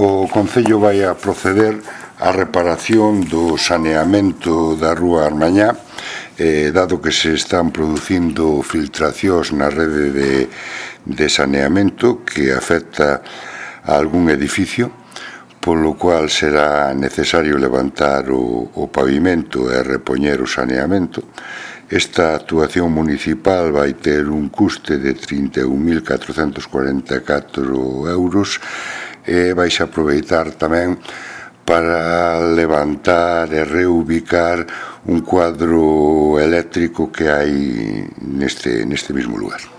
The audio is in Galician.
O Concello vai a proceder á reparación do saneamento da Rúa Armañá, dado que se están producindo filtracións na rede de saneamento que afecta a algún edificio, polo cual será necesario levantar o pavimento e repoñer o saneamento. Esta actuación municipal vai ter un custe de 31.444 euros e vais aproveitar tamén para levantar e reubicar un cuadro eléctrico que hai neste mismo lugar.